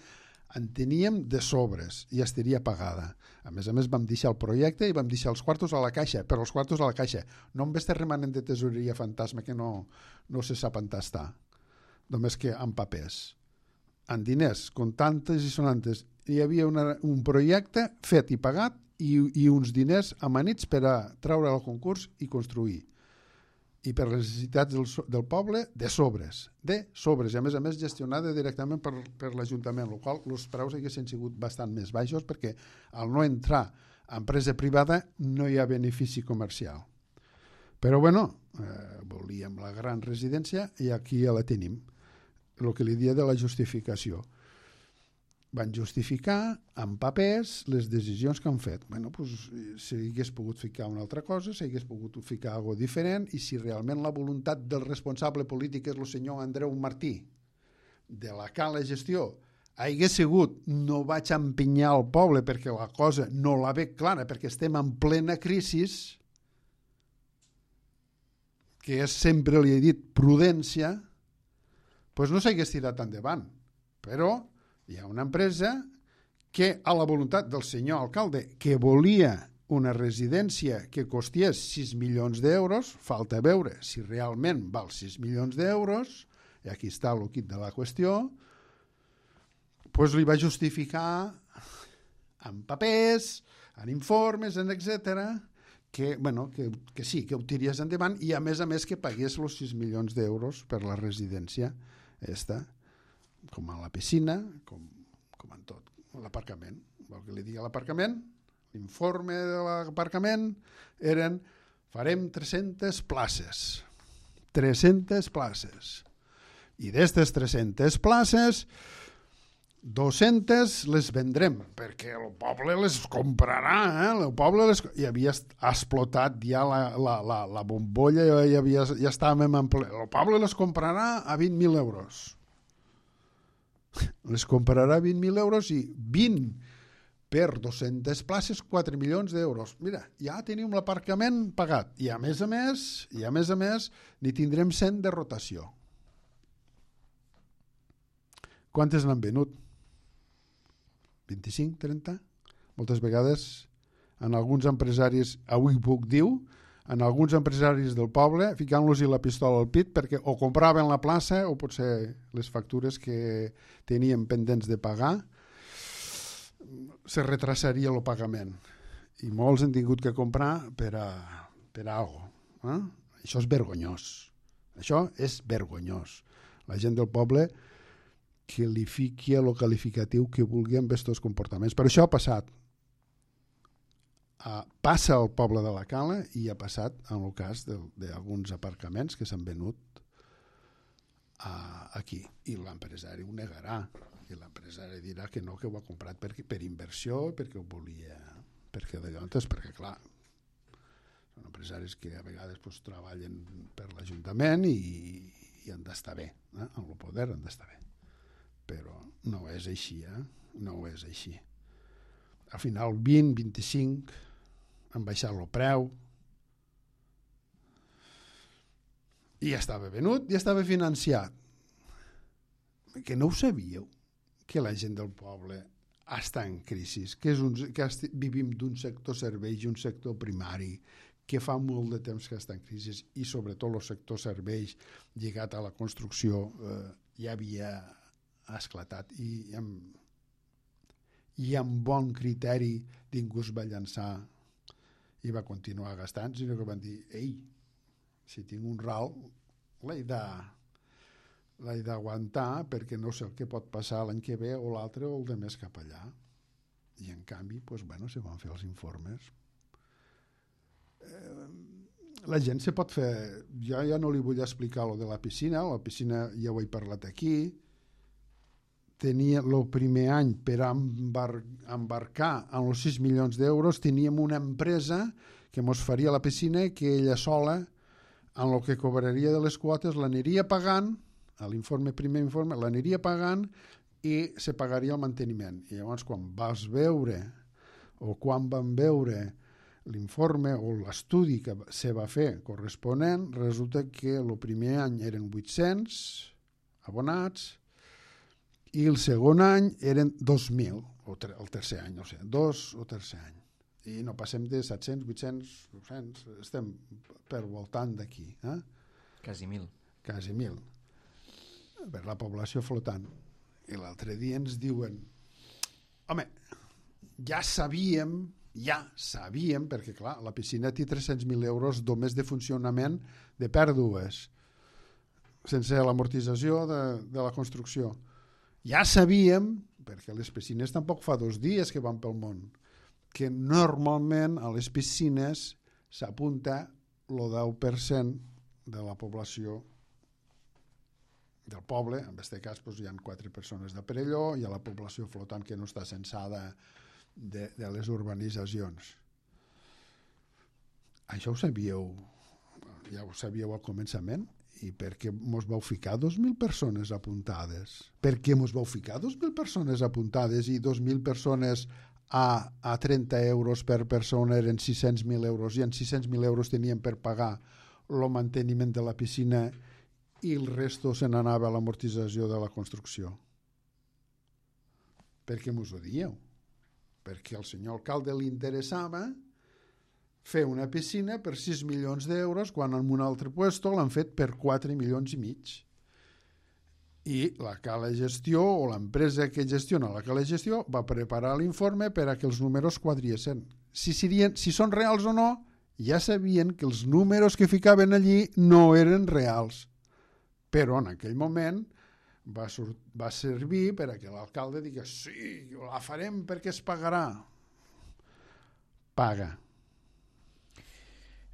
en teníem de sobres i estaria pagada. A més, vam deixar el projecte i vam deixar els quartos a la caixa, però els quartos a la caixa. No en este remanent de tesoreria fantasma que no se sap on està, només que en papers. En diners, comptantes i sonantes. Hi havia un projecte fet i pagat i uns diners amanits per a treure al concurs i construir. I per les necessitats del poble, de sobres. I a més gestionada directament per l'Ajuntament, el qual els preus haguessin sigut bastant més baixos perquè al no entrar a empresa privada no hi ha benefici comercial. Però volíem la gran residència i aquí ja la tenim. El que li dia de la justificació. Van justificar amb papers les decisions que han fet. S'hagués pogut ficar una altra cosa, s'hagués pogut ficar alguna cosa diferent, i si realment la voluntat del responsable polític és el senyor Andreu Martí, de la cala gestió, hagués sigut no vaig empenyar el poble perquè la cosa no la veig clara, perquè estem en plena crisi, que és sempre, li he dit, prudència, doncs no s'hagués tirat endavant. Però hi ha una empresa que, a la voluntat del senyor alcalde, que volia una residència que costés 6 milions d'euros, falta veure si realment val 6 milions d'euros, i aquí està el quid de la qüestió, doncs li va justificar en papers, en informes, etc., que sí, que ho tiries endavant i a més que pagués els 6 milions d'euros per la residència com a la piscina, com en tot, l'aparcament. Vol que li digui l'aparcament? L'informe de l'aparcament eren farem 300 places. 300 places. I d'aquestes 300 places 200 les vendrem, perquè el poble les comprarà, el poble i havia explotat ja la bombolla, ja estàvem en ple. El poble les comprarà a 20.000 euros. Les comprarà a 20.000 euros i 20 per 200 places, 4 milions d'euros. Mira, ja tenim l'aparcament pagat. I a més a més, n'hi tindrem 100 de rotació. Quantes n'han venut? 25, 30? Moltes vegades, en alguns empresaris, avui puc dir, en alguns empresaris del poble, ficant-los-hi la pistola al pit, perquè o compraven la plaça o potser les factures que tenien pendents de pagar, se retrasaria el pagament. I molts han tingut que comprar per alguna cosa. Això és vergonyós. Això és vergonyós. La gent del poble que li fiqui el qualificatiu que vulgui amb aquests comportaments. Però això ha passat. Passa al poble de la Cala i ha passat en el cas d'alguns aparcaments que s'han venut aquí. I l'empresari ho negarà. I l'empresari dirà que no, que ho ha comprat per inversió, perquè ho volia, perquè clar, són empresaris que a vegades treballen per l'Ajuntament i han d'estar bé, amb el poder han d'estar bé. Però no és així, no és així. Al final 20, 25 han baixat el preu i ja estava venut, ja estava financiat. Que no ho sabíeu? Que la gent del poble està en crisi, que vivim d'un sector serveis i un sector primari, que fa molt de temps que està en crisi i sobretot el sector serveis lligat a la construcció ja havia esclatat i amb bon criteri ningú es va llançar i va continuar gastant, sinó que van dir, ei, si tinc un ral l'he d'aguantar perquè no sé el que pot passar l'any que ve o l'altre o el de més cap allà. I en canvi, se van fer els informes. La gent se pot fer... Jo ja no li vull explicar lo de la piscina ja ho he parlat aquí. Tenia el primer any per embarcar en els 6 milions d'euros, teníem una empresa que mos faria la piscina que ella sola, en el que cobraria de les quotes, l'aniria pagant, a primer informe, l'aniria pagant i se pagaria el manteniment. I llavors quan van veure l'informe o l'estudi que se va fer corresponent, resulta que el primer any eren 800 abonats i el segon any eren 2.000, o el tercer any, no sé, 2 o tercer any. I no passem de 700, 800, 900, estem per voltant d'aquí. Quasi 1.000. Quasi 1.000. Per la població flotant. I l'altre dia ens diuen, home, ja sabíem, perquè clar, la piscina té 300.000 euros només de funcionament de pèrdues, sense l'amortització de la construcció. Ja sabíem, perquè les piscines tampoc fa 2 dies que van pel món, que normalment a les piscines s'apunta el 10% de la població del poble. En aquest cas hi ha 4 persones de Perelló, hi ha la població flotant que no està censada de les urbanitzacions. Això ho sabíeu, ja ho sabíeu al començament. I per què mos vau ficar 2.000 persones apuntades? Per què mos vau ficar 2.000 persones apuntades i 2.000 persones a 30 euros per persona eren 600.000 euros i en 600.000 euros tenien per pagar el manteniment de la piscina i el resto se n'anava a l'amortització de la construcció? Per què mos ho dieu? Perquè al senyor alcalde li interessava fer una piscina per 6 milions d'euros quan en un altre puesto l'han fet per 4 milions i mig. I la Cala Gestió o l'empresa que gestiona la Cala Gestió va preparar l'informe per a que els números quadriessin. Si són reals o no, ja sabien que els números que ficaven allí no eren reals. Però en aquell moment va servir per a que l'alcalde digués sí, la farem perquè es pagarà. Paga.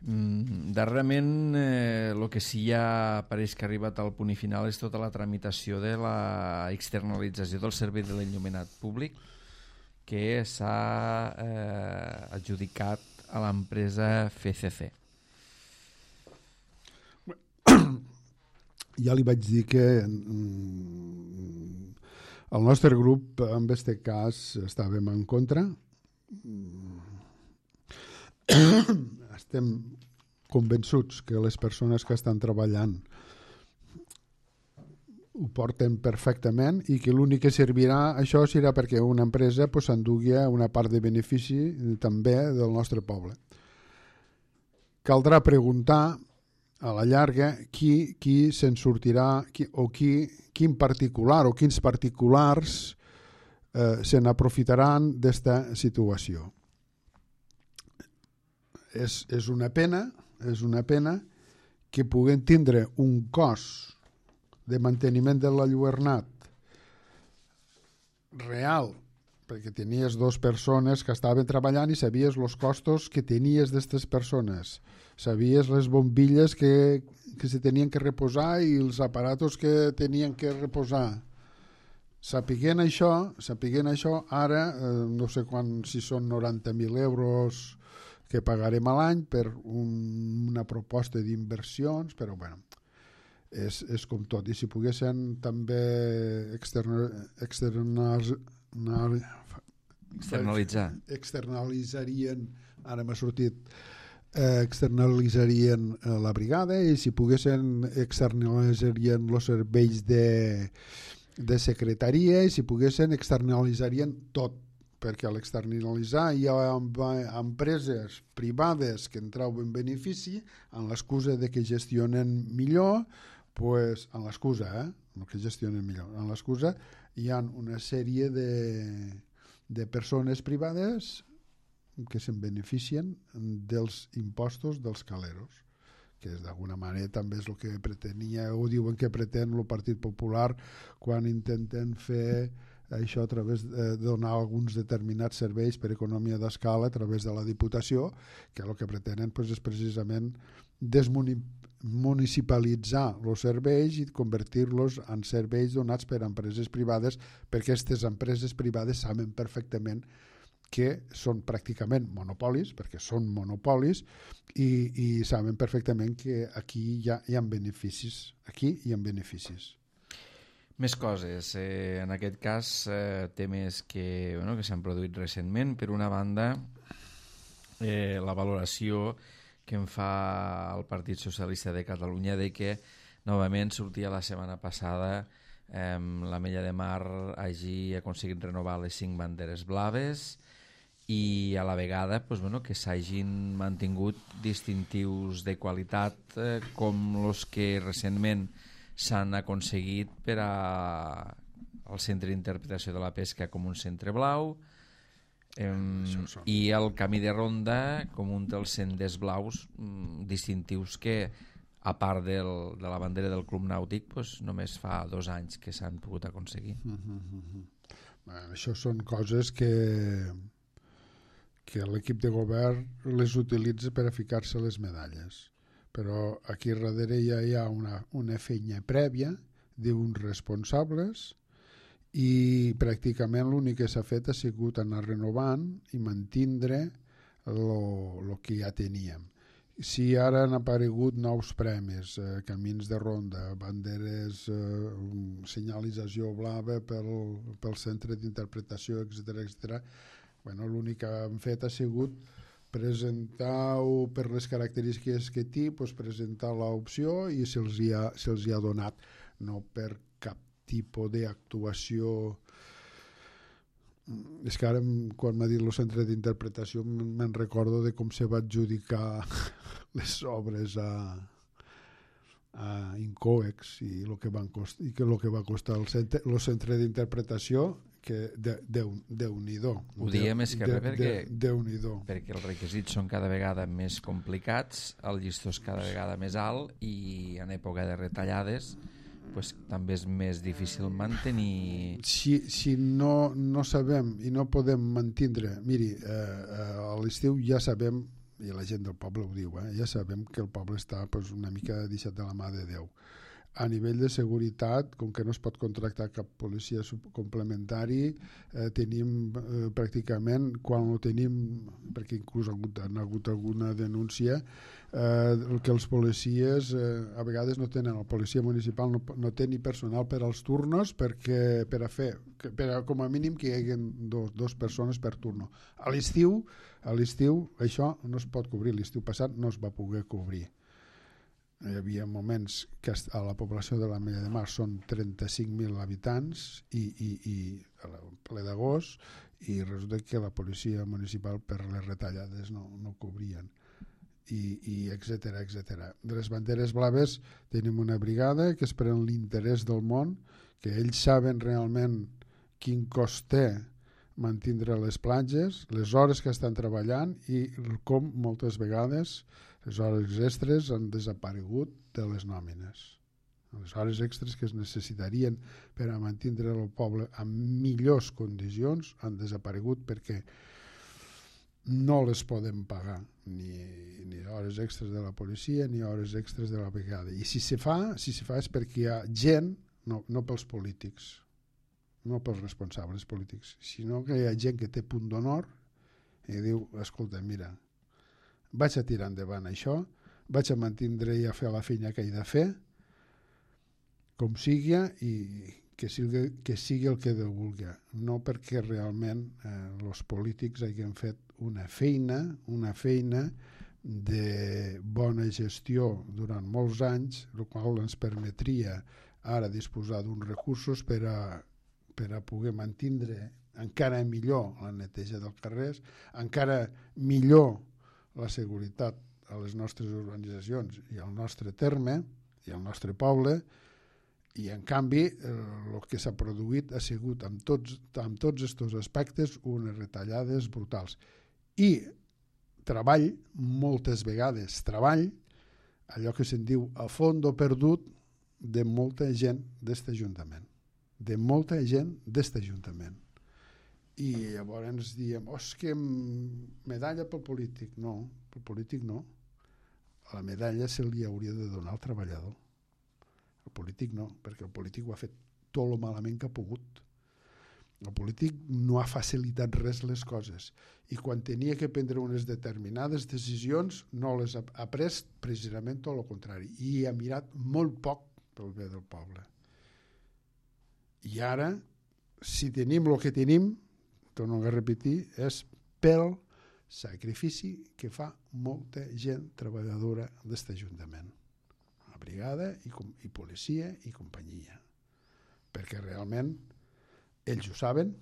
Darrerament el que sí ja pareix que ha arribat al punt i final és tota la tramitació de la externalització del servei de l'enllumenat públic que s'ha adjudicat a l'empresa FCC. Ja li vaig dir que el nostre grup en aquest cas estàvem en contra. Estem convençuts que les persones que estan treballant ho porten perfectament i que l'únic que servirà això serà perquè una empresa s'endugui una part de benefici també del nostre poble. Caldrà preguntar a la llarga qui se'n sortirà quin particular o quins particulars se n'aprofitaran d'esta situació. És una pena que puguem tindre un cost de manteniment de l'enlluernat real, perquè tenies dues persones que estaven treballant i sabies els costos que tenies d'aquestes persones, sabies les bombilles que se tenien que reposar i els aparatos que tenien que reposar. Sapiguent això, ara no sé si són 90.000 euros que pagarem a l'any per una proposta d'inversions, però bueno, és com tot. I si poguessin també externalitzarien, ara m'ha sortit, externalitzarien la brigada, i si poguessin externalitzarien els serveis de secretaria, i si poguessin externalitzarien tot, perquè a l'externalitzar hi ha empreses privades que en treuen benefici amb l'excusa de que gestionen millor, amb l'excusa, no que gestionen millor, amb l'excusa hi ha una sèrie de persones privades que se'n beneficien dels impostos dels caleros, que d'alguna manera també és el que pretenia, o diuen que pretén el Partit Popular quan intenten fer això a través de donar alguns determinats serveis per economia d'escala a través de la Diputació, que el que pretenen és precisament desmunicipalitzar els serveis i convertir-los en serveis donats per empreses privades, perquè aquestes empreses privades saben perfectament que són pràcticament monopolis, perquè són monopolis, i saben perfectament que aquí hi ha beneficis. Més coses. En aquest cas, temes que s'han produït recentment. Per una banda, la valoració que en fa el Partit Socialista de Catalunya de que novament sortia la setmana passada l'Ametlla de Mar hagi aconseguit renovar les 5 banderes blaves i a la vegada que s'hagin mantingut distintius de qualitat com els que recentment s'han aconseguit per al Centre d'Interpretació de la Pesca com un centre blau i el Camí de Ronda com un dels senders blaus distintius que, a part de la bandera del Club Nàutic, només fa 2 anys que s'han pogut aconseguir. Això són coses que l'equip de govern les utilitza per a ficar-se les medalles, però aquí darrere ja hi ha una feina prèvia d'uns responsables i pràcticament l'únic que s'ha fet ha sigut anar renovant i mantindre el que ja teníem. Si ara han aparegut nous premis, camins de ronda, banderes, senyalització blava pel centre d'interpretació, etc. L'únic que han fet ha sigut presentar-ho per les característiques que té, presentar l'opció i se'ls hi ha donat, no per cap tipus d'actuació. És que ara, quan m'ha dit el centre d'interpretació, me'n recordo de com se va adjudicar les obres a Incoex i el que va costar el centre d'interpretació, que Déu-n'hi-do. Ho diem més que res perquè els requisits són cada vegada més complicats, el llistó és cada vegada més alt i en època de retallades també és més difícil mantenir. Si no sabem i no podem mantindre, miri, a l'estiu ja sabem i la gent del poble ho diu, ja sabem que el poble està una mica deixat de la mà de Déu. A nivell de seguretat, com que no es pot contractar cap policia complementari, tenim pràcticament, quan ho tenim, perquè inclús han hagut alguna denúncia, que els policies a vegades no tenen, la policia municipal no té ni personal per als turnos perquè com a mínim que hi hagi dos persones per turno. A l'estiu això no es pot cobrir, l'estiu passat no es va poder cobrir. Hi havia moments que a la població de l'Ametlla de Mar són 35.000 habitants i a ple d'agost, i resulta que la policia municipal per les retallades no cobrien, i etcètera, etcètera. De les banderes blaves tenim una brigada que es pren l'interès del món, que ells saben realment quin cost té mantindre les platges, les hores que estan treballant i com moltes vegades les hores extres han desaparegut de les nòmines. Les hores extres que es necessitarien per a mantindre el poble en millors condicions han desaparegut perquè no les podem pagar, ni hores extres de la policia ni hores extres de la brigada. I si se fa és perquè hi ha gent, no pels polítics, no pels responsables polítics, sinó que hi ha gent que té punt d'honor i diu, escolta, mira, vaig a tirar endavant això, vaig a mantindre i a fer la feina que he de fer, com sigui, i que sigui el que Déu vulgui. No perquè realment els polítics hagin fet una feina de bona gestió durant molts anys, el qual ens permetria ara disposar d'uns recursos per a poder mantindre encara millor la neteja dels carrers, encara millor la seguretat a les nostres organitzacions i al nostre terme i al nostre poble, i en canvi el que s'ha produït ha sigut amb tots aquests aspectes unes retallades brutals i treball, moltes vegades treball, allò que se'n diu a fondo perdut, de molta gent d'este Ajuntament, i llavors ens diem, que medalla pel polític. No, pel polític no. La medalla se li hauria de donar al treballador. El polític no, perquè el polític ho ha fet tot el malament que ha pogut. El polític no ha facilitat res les coses, i quan tenia que prendre unes determinades decisions no les ha pres precisament tot el contrari, i ha mirat molt poc pel bé del poble. I ara, si tenim el que tenim, torno a repetir, és pel sacrifici que fa molta gent treballadora d'aquest Ajuntament, la brigada i policia i companyia, perquè realment ells ho saben,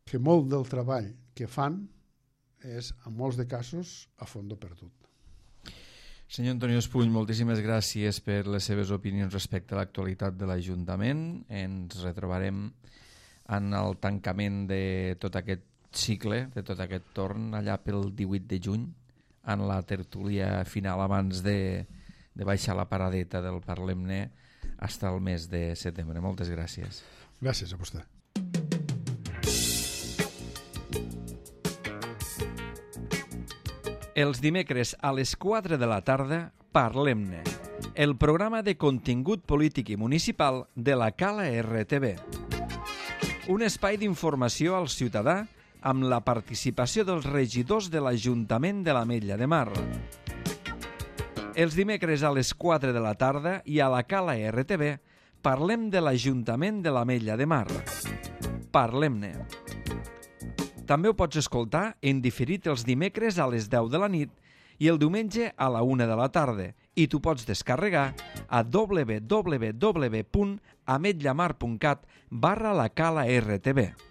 que molt del treball que fan és, en molts de casos, a fondo perdut. Senyor Antonio Espuny, moltíssimes gràcies per les seves opinions respecte a l'actualitat de l'Ajuntament. Ens retrobarem en el tancament de tot aquest cicle, de tot aquest torn, allà pel 18 de juny, en la tertúlia final abans de baixar la paradeta del Parlem-ne fins al mes de setembre. Moltes gràcies. Gràcies a vostè. Els dimecres a les 4 de la tarda, Parlem-ne, el programa de contingut polític i municipal de la Cala RTV. Un espai d'informació al ciutadà amb la participació dels regidors de l'Ajuntament de l'Ametlla de Mar. Els dimecres a les 4 de la tarda i a la Cala RTV parlem de l'Ajuntament de l'Ametlla de Mar. Parlem-ne. També ho pots escoltar en diferit els dimecres a les 10 de la nit i el diumenge a la 1 de la tarda, i tu pots descarregar a www.ametllamar.cat/la Cala RTV.